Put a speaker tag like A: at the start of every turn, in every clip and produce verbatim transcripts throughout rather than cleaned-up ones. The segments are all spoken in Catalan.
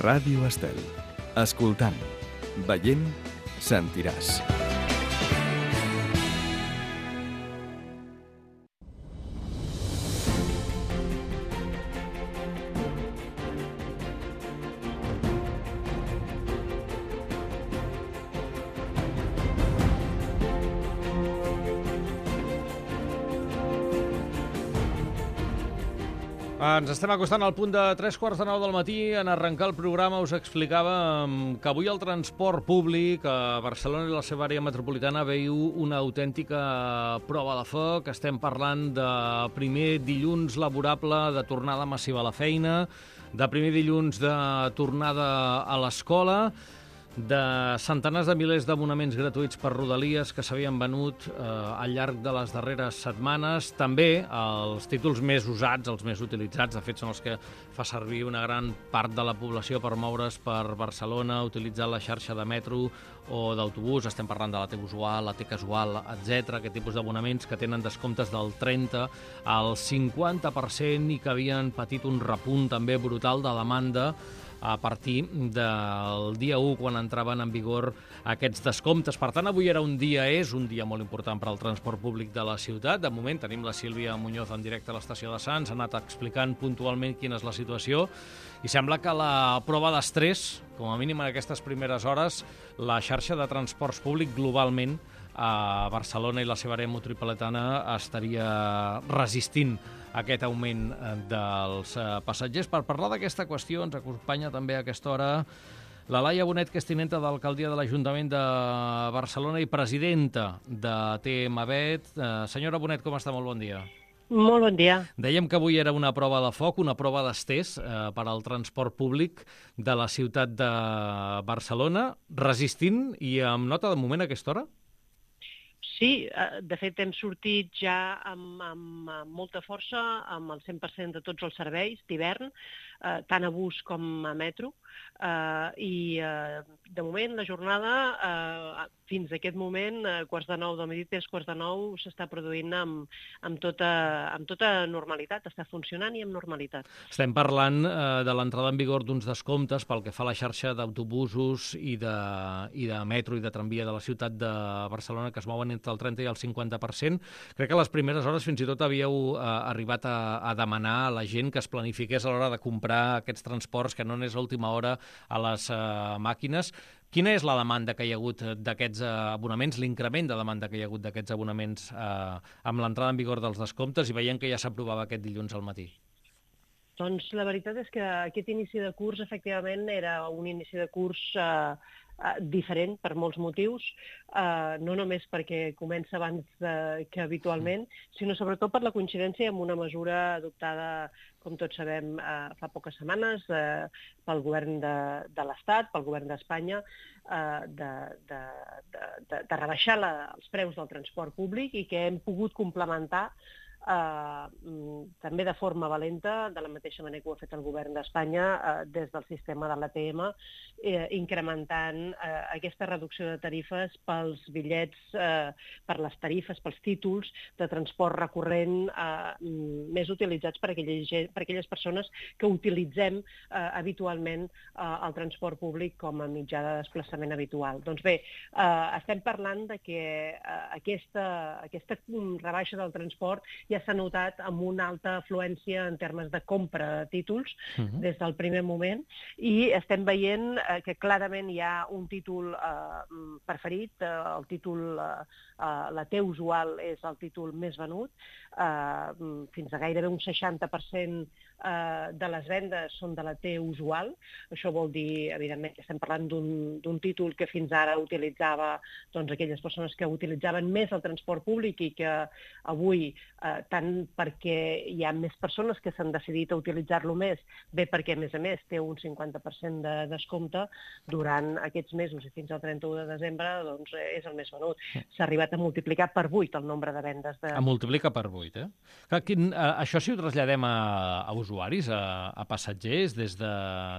A: Ràdio Estel. Escoltant, veient, sentiràs.
B: Ens estem acostant al punt de tres quarts de nou del matí. En arrencar el programa us explicàvem que avui el transport públic a Barcelona i la seva àrea metropolitana veiu una autèntica prova de foc. Estem parlant de primer dilluns laborable de tornada massiva a la feina, de primer dilluns de tornada a l'escola, de centenars de milers d'abonaments gratuïts per Rodalies que s'havien venut eh, al llarg de les darreres setmanes. També els títols més usats, els més utilitzats, de fet són els que fa servir una gran part de la població per moure's per Barcelona, utilitzar la xarxa de metro o d'autobús. Estem parlant de la T usual, la T casual, etcètera. Aquest tipus d'abonaments que tenen descomptes del trenta al cinquanta per cent i que havien patit un repunt també brutal de demanda a partir del dia u, quan entraven en vigor aquests descomptes. Per tant, avui era un dia, és un dia molt important per al transport públic de la ciutat. De moment tenim la Sílvia Muñoz en directe a l'estació de Sants, ha anat explicant puntualment quina és la situació, i sembla que la prova d'estrès, com a mínim en aquestes primeres hores, la xarxa de transports públic globalment a Barcelona i la seva àrea metropolitana estaria resistint aquest augment dels passatgers. Per parlar d'aquesta qüestió ens acompanya també a aquesta hora la Laia Bonet, que és tinenta d'alcaldia de l'Ajuntament de Barcelona i presidenta de T M B E T. Senyora Bonet, com està? Molt bon dia.
C: Molt bon dia.
B: Dèiem que avui era una prova de foc, una prova d'estès eh, per al transport públic de la ciutat de Barcelona, resistint i amb nota de moment a aquesta hora?
C: Sí, de fet hem sortit ja amb, amb, amb molta força, amb el cent per cent de tots els serveis d'hivern, eh, tant a bus com a metro, eh, i eh, de moment la jornada, eh, fins a aquest moment, eh, quarts de nou del matí, tres quarts de nou, s'està produint amb, amb, tota, amb tota normalitat, està funcionant i amb normalitat.
B: Estem parlant eh, de l'entrada en vigor d'uns descomptes pel que fa a la xarxa d'autobusos i de, i de metro i de tramvia de la ciutat de Barcelona, que es mouen entre el trenta i el cinquanta per cent. Crec que a les primeres hores fins i tot havíeu eh, arribat a, a demanar a la gent que es planifiqués a l'hora de comprar aquests transports, que no anés a última hora a les eh, màquines. Quina és la demanda que hi ha hagut d'aquests abonaments, l'increment de demanda que hi ha hagut d'aquests abonaments eh, amb l'entrada en vigor dels descomptes i veient que ja s'aprovava aquest dilluns al matí?
C: Doncs la veritat és que aquest inici de curs, efectivament, era un inici de curs eh, diferent per molts motius, eh, no només perquè comença abans de, que habitualment, sinó sobretot per la coincidència amb una mesura adoptada, com tots sabem, eh, fa poques setmanes eh, pel govern de, de l'Estat, pel govern d'Espanya, eh, de, de, de, de, de rebaixar la, els preus del transport públic i que hem pogut complementar Uh, també de forma valenta, de la mateixa manera que ho ha fet el govern d'Espanya, uh, des del sistema de l'A T M, eh, incrementant uh, aquesta reducció de tarifes pels bitllets, uh, per les tarifes, pels títols de transport recurrent uh, més utilitzats per aquelles, per aquelles persones que utilitzem uh, habitualment uh, el transport públic com a mitjà de desplaçament habitual. Doncs bé, uh, estem parlant de que uh, aquesta, aquesta rebaixa del transport ja ja s'ha notat amb una alta afluència en termes de compra de títols uh-huh. des del primer moment, i estem veient eh, que clarament hi ha un títol eh, preferit, eh, el títol, eh, eh, la T usual és el títol més venut, eh, fins a gairebé un seixanta per cent eh, de les vendes són de la T usual. Això vol dir, evidentment, que estem parlant d'un títol que fins ara utilitzava doncs, aquelles persones que utilitzaven més el transport públic i que avui eh, tant perquè hi ha més persones que s'han decidit a utilitzar-lo més, bé perquè, a més a més, té un cinquanta per cent de descompte durant aquests mesos i fins al trenta-u de desembre, doncs és el més venut. S'ha arribat a multiplicar per vuit el nombre de vendes. De...
B: A multiplicar per vuit, eh? Clar, quin, a, això si ho traslladem a, a usuaris, a, a passatgers, des de,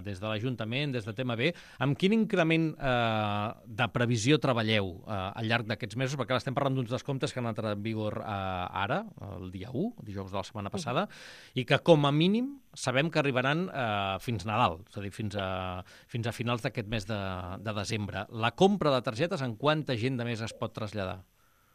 B: des de l'Ajuntament, des de T M B, amb quin increment eh, de previsió treballeu eh, al llarg d'aquests mesos? Perquè ara estem parlant d'uns descomptes que han entrat en vigor eh, ara, el dia u, dijous de la setmana passada, i que com a mínim sabem que arribaran eh, fins Nadal, és a dir, fins a, fins a finals d'aquest mes de, de desembre. La compra de targetes, en quanta gent de més es pot traslladar?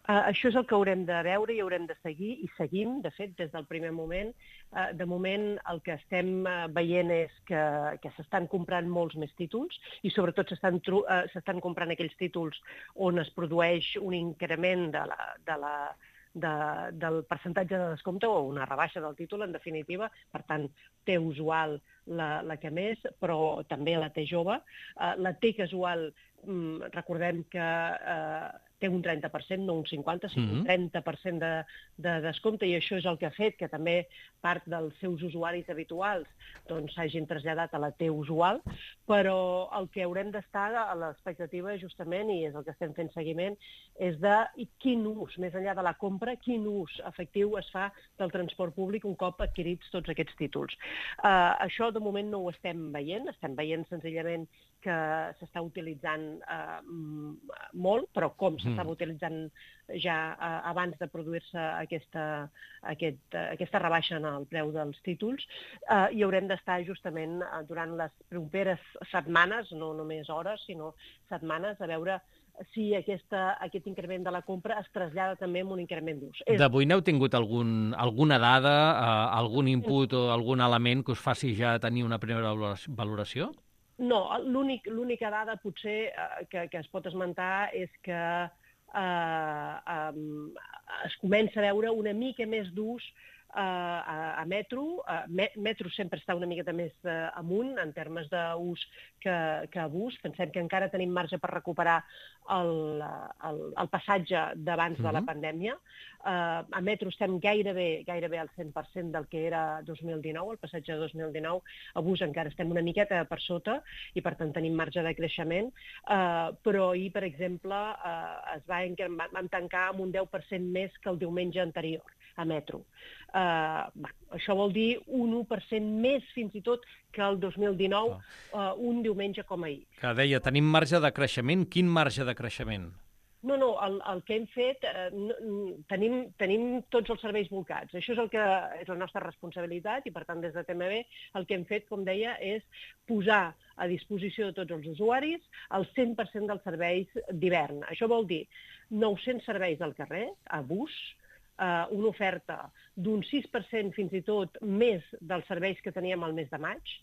C: Uh, això és el que haurem de veure i haurem de seguir, i seguim, de fet, des del primer moment. Uh, de moment, el que estem uh, veient és que, que s'estan comprant molts més títols i, sobretot, s'estan uh, s'estan comprant aquells títols on es produeix un increment de la, de la, de, del percentatge de descompte o una rebaixa del títol, en definitiva. Per tant, té usual la, la que més, però també la té jove. Uh, la té casual, um, recordem que uh, té un trenta per cent, no un cinquanta, sinó un trenta per cent de, de descompte, i això és el que ha fet que també part dels seus usuaris habituals doncs s'hagin traslladat a la T usual, però el que haurem d'estar a l'expectativa justament, i és el que estem fent seguiment, és de quin ús, més enllà de la compra, quin ús efectiu es fa del transport públic un cop adquirits tots aquests títols. Uh, això de moment no ho estem veient, estem veient senzillament que s'està utilitzant uh, molt, però com s'estava utilitzant ja uh, abans de produir-se aquesta, aquest, uh, aquesta rebaixa en el preu dels títols, uh, i haurem d'estar justament uh, durant les properes setmanes, no només hores, sinó setmanes, a veure si aquesta, aquest increment de la compra es trasllada també amb un increment d'ús.
B: D'avui n'heu tingut algun, alguna dada, uh, algun input o algun element que us faci ja tenir una primera valoració?
C: No, l'única dada potser eh, que, que es pot esmentar és que eh, eh, es comença a veure una mica més d'ús eh, a, a Metro. Uh, Metro sempre està una miqueta més uh, amunt en termes d'ús que, que abús. Pensem que encara tenim marge per recuperar el, el, el passatge d'abans mm-hmm. de la pandèmia. Uh, a Metro estem gairebé, gairebé al cent per cent del que era dos mil dinou, el passatge de dos mil dinou. A bus encara estem una miqueta per sota i, per tant, tenim marge de creixement. Uh, però ahir, per exemple, uh, es va, vam tancar amb un deu per cent més que el diumenge anterior a Metro. Uh, bah, això vol dir un u per cent més, fins i tot, que el dos mil dinou, uh, un diumenge com ahir.
B: Que deia, tenim marge de creixement. Quin marge de creixement?
C: No, no, el, el que hem fet, eh, tenim, tenim tots els serveis volcats. Això és el que és la nostra responsabilitat i, per tant, des de T M B el que hem fet, com deia, és posar a disposició de tots els usuaris el cent per cent dels serveis d'hivern. Això vol dir nou-cents serveis al carrer, a bus, eh, una oferta d'un sis per cent fins i tot més dels serveis que teníem al mes de maig,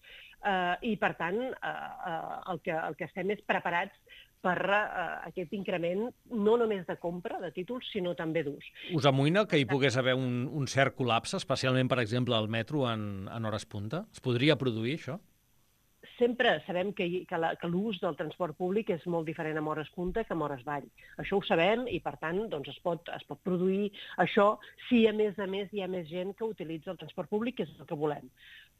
C: eh, i, per tant, eh, eh, el, que, el que estem és preparats per uh, aquest increment no només de compra de títols, sinó també d'ús.
B: Us amoïna que hi pogués haver un, un cert col·lapse, especialment, per exemple, al metro en, en hores punta? Es podria produir això?
C: Sempre sabem que, que, la, que l'ús del transport públic és molt diferent amb hores punta que amb hores vall. Això ho sabem i, per tant, doncs es, pot, es pot produir això si, a més a més, hi ha més gent que utilitza el transport públic, que és el que volem.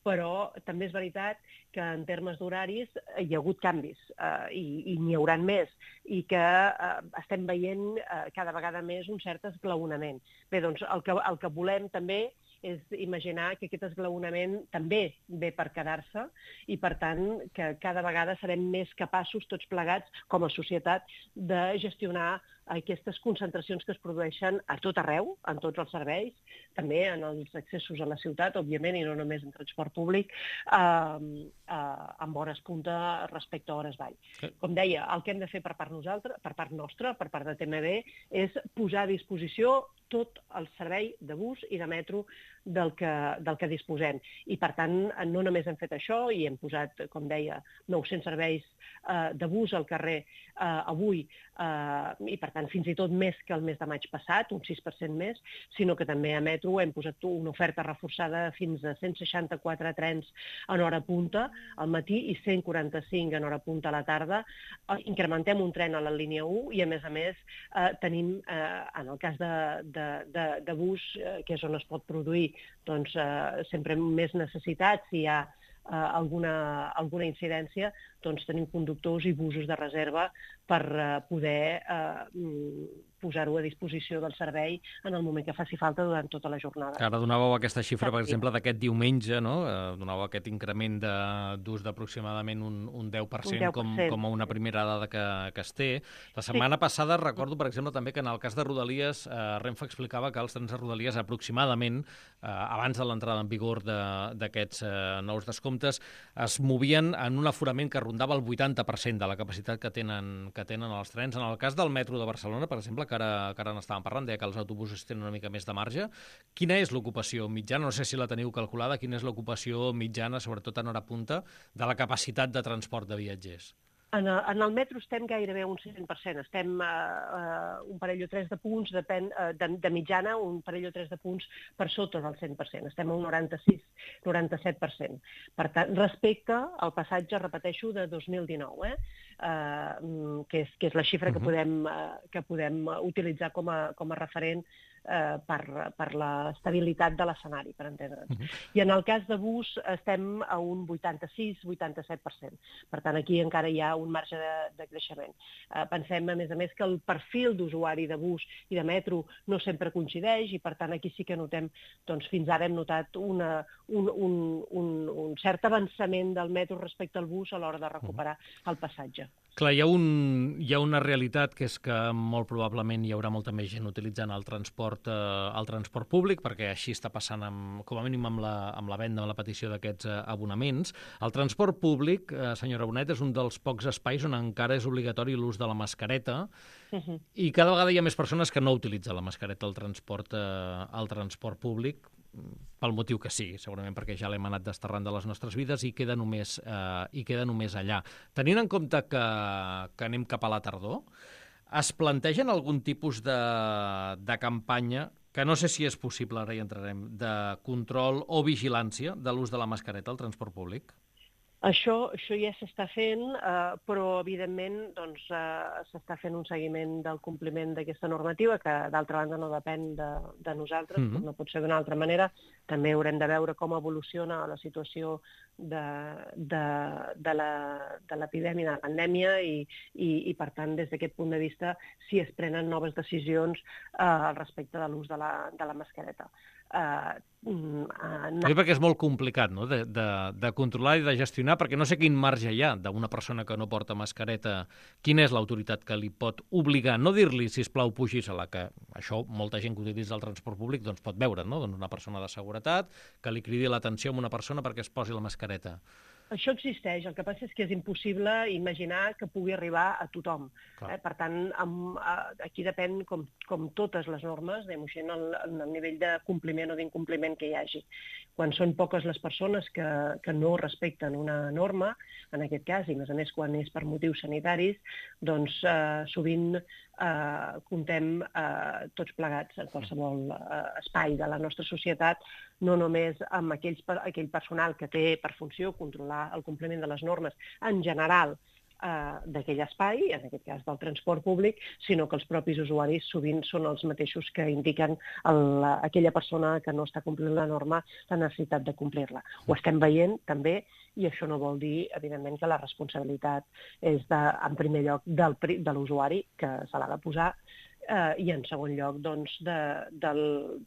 C: Però també és veritat que en termes d'horaris hi ha hagut canvis eh, i, i n'hi hauran més i que eh, estem veient eh, cada vegada més un cert esglaonament. Bé, doncs el que, el que volem també és imaginar que aquest esglaonament també ve per quedar-se i, per tant, que cada vegada serem més capaços, tots plegats, com a societat, de gestionar aquestes concentracions que es produeixen a tot arreu, en tots els serveis, també en els accessos a la ciutat, òbviament, i no només en transport públic, eh, eh, amb hores punta respecte a hores vall. Com deia, el que hem de fer per part nosaltres, per part nostra, per part de T M B, és posar a disposició tot el servei de bus i de metro del que, del que disposem. I, per tant, no només hem fet això i hem posat, com deia, nou-cents serveis eh, de bus al carrer eh, avui, eh, i, per tant, fins i tot més que el mes de maig passat, un sis per cent més, sinó que també a metro hem posat una oferta reforçada fins a cent seixanta-quatre trens en hora punta al matí i cent quaranta-cinc en hora punta a la tarda. Eh, incrementem un tren a la línia u i, a més a més, eh, tenim, eh, en el cas de, de, de, de bus, eh, que és on es pot produir doncs, eh, sempre més necessitats, si hi ha eh, alguna, alguna incidència, doncs tenim conductors i busos de reserva per uh, poder uh, posar-ho a disposició del servei en el moment que faci falta durant tota la jornada.
B: Ara donàveu aquesta xifra, per exemple, d'aquest diumenge, no? Eh, donàveu aquest increment d'ús d'aproximadament un, un deu per cent,
C: un deu per cent.
B: Com, com a una primera dada que, que es té. La setmana sí. passada recordo, per exemple, també que en el cas de Rodalies, eh, Renfe explicava que els trens de Rodalies aproximadament, eh, abans de l'entrada en vigor d'aquests eh, nous descomptes, es movien en un aforament que rondava el vuitanta per cent de la capacitat que tenen, que tenen els trens. En el cas del metro de Barcelona, per exemple, que ara, que ara n'estàvem parlant, deia que els autobusos tenen una mica més de marge. Quina és l'ocupació mitjana? No sé si la teniu calculada. Quina és l'ocupació mitjana, sobretot en hora punta, de la capacitat de transport de viatgers?
C: En el, en el metro estem gairebé un cent per cent. Estem uh, uh, un parell o tres de punts, depèn, uh, de, de mitjana, un parell o tres de punts per sota del cent per cent. Estem a un noranta-sis noranta-set per cent. Per tant, respecte al passatge, repeteixo, de dos mil dinou, eh? Uh, que, és, que és la xifra que podem, uh, que podem utilitzar com a, com a referent eh, per, per l'estabilitat de l'escenari, per entendre'ns. Uh-huh. I en el cas de bus estem a un vuitanta-sis vuitanta-set per cent. Per tant, aquí encara hi ha un marge de, de creixement. Eh, pensem, a més a més, que el perfil d'usuari de bus i de metro no sempre coincideix i, per tant, aquí sí que notem, doncs, fins ara hem notat una, un, un, un, un cert avançament del metro respecte al bus a l'hora de recuperar el passatge.
B: Clar, hi ha, un, hi ha una realitat que és que molt probablement hi haurà molta més gent utilitzant el transport, eh, el transport públic, perquè així està passant, amb, com a mínim, amb la, amb la venda, amb la petició d'aquests eh, abonaments. El transport públic, eh, senyora Bonet, és un dels pocs espais on encara és obligatori l'ús de la mascareta, uh-huh. i cada vegada hi ha més persones que no utilitzen la mascareta al transport, eh, al transport públic, pel motiu que sigui, segurament perquè ja l'hem anat desterrant de les nostres vides i queda només, eh, i queda només allà. Tenint en compte que, que anem cap a la tardor, es plantegen algun tipus de, de campanya, que no sé si és possible, ara hi entrarem, de control o vigilància de l'ús de la mascareta al transport públic?
C: Això, això ja s'està fent, eh, però, evidentment, doncs, eh, s'està fent un seguiment del compliment d'aquesta normativa, que, d'altra banda, no depèn de, de nosaltres, mm-hmm. no pot ser d'una altra manera. També haurem de veure com evoluciona la situació de, de, de l'epidèmia, de la pandèmia, i, i, i, per tant, des d'aquest punt de vista, si es prenen noves decisions eh, al respecte de l'ús de la, de la mascareta. Uh, uh,
B: no. Perquè és molt complicat, no?, de, de, de controlar i de gestionar, perquè no sé quin marge hi ha d'una persona que no porta mascareta. Quina és l'autoritat que li pot obligar? No dir-li, sisplau, pugis-la, que això molta gent que utilitza el transport públic doncs pot veure, no?, doncs una persona de seguretat que li cridi l'atenció a una persona perquè es posi la mascareta.
C: Això existeix, el que passa és que és impossible imaginar que pugui arribar a tothom. Eh? Per tant, amb, aquí depèn, com, com totes les normes, diguem-ho el, el nivell de compliment o d'incompliment que hi hagi. Quan són poques les persones que, que no respecten una norma, en aquest cas, i més a més quan és per motius sanitaris, doncs eh, sovint eh, comptem eh, tots plegats en qualsevol eh, espai de la nostra societat, no només amb aquells, aquell personal que té per funció controlar el compliment de les normes en general eh, d'aquell espai, en aquest cas del transport públic, sinó que els propis usuaris sovint són els mateixos que indiquen el, aquella persona que no està complint la norma la necessitat de complir-la. Ho estem veient també, i això no vol dir, evidentment, que la responsabilitat és, de, en primer lloc, del, de l'usuari, que se l'ha de posar, Uh, i en segon lloc, doncs, de, de,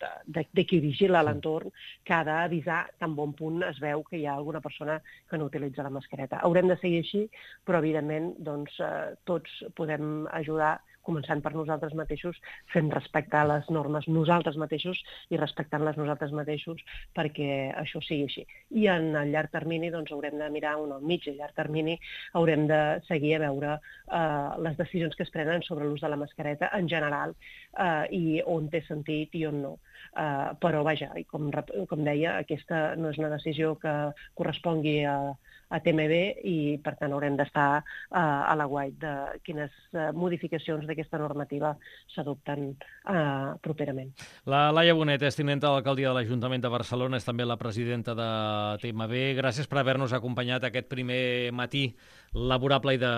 C: de, de, de qui vigila l'entorn, que ha d'avisar tan bon punt es veu que hi ha alguna persona que no utilitza la mascareta. Haurem de seguir així, però, evidentment, doncs, uh, tots podem ajudar, començant per nosaltres mateixos, fent respectar les normes nosaltres mateixos i respectant-les nosaltres mateixos perquè això sigui així. I en el llarg termini doncs, haurem de mirar, on al mig i llarg termini, haurem de seguir a veure uh, les decisions que es prenen sobre l'ús de la mascareta en general uh, i on té sentit i on no. Uh, però, vaja, com, com deia, aquesta no és una decisió que correspongui a, a T M B i, per tant, haurem d'estar uh, a l'aguait de quines uh, modificacions d'aquesta normativa s'adopten uh, properament.
B: La Laia Bonet és tinenta de l'alcaldia de l'Ajuntament de Barcelona, és també la presidenta de T M B. Gràcies per haver-nos acompanyat aquest primer matí laborable i de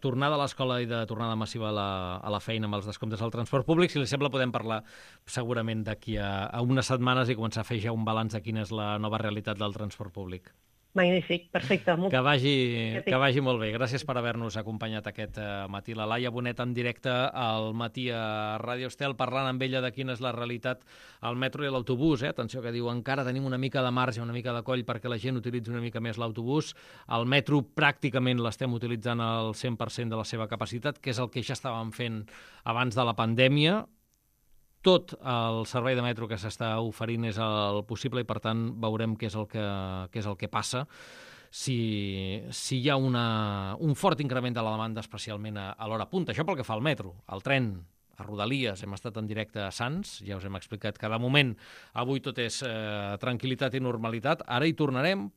B: tornada a l'escola i de tornada massiva a la, a la feina amb els descomptes al transport públic. Si li sembla, podem parlar segurament d'aquí a, a unes setmanes i començar a fer ja un balanç de quina és la nova realitat del transport públic.
C: Magnífic, perfecte. Molt...
B: Que vagi, que vagi molt bé. Gràcies per haver-nos acompanyat aquest matí. La Laia Bonet en directe al matí a Ràdio Estel, parlant amb ella de quina és la realitat al metro i a l'autobús. Eh? Atenció, que diu, encara tenim una mica de marge, una mica de coll perquè la gent utilitzi una mica més l'autobús. El metro pràcticament l'estem utilitzant al cent per cent de la seva capacitat, que és el que ja estàvem fent abans de la pandèmia. Tot el servei de metro que s'està oferint és el possible i, per tant, veurem què és el que, què és el que passa si, si hi ha una, un fort increment de la demanda, especialment a, a l'hora punta. Això pel que fa al metro. El tren, a Rodalies, hem estat en directe a Sants, ja us hem explicat que de moment avui tot és eh, tranquil·litat i normalitat. Ara hi tornarem,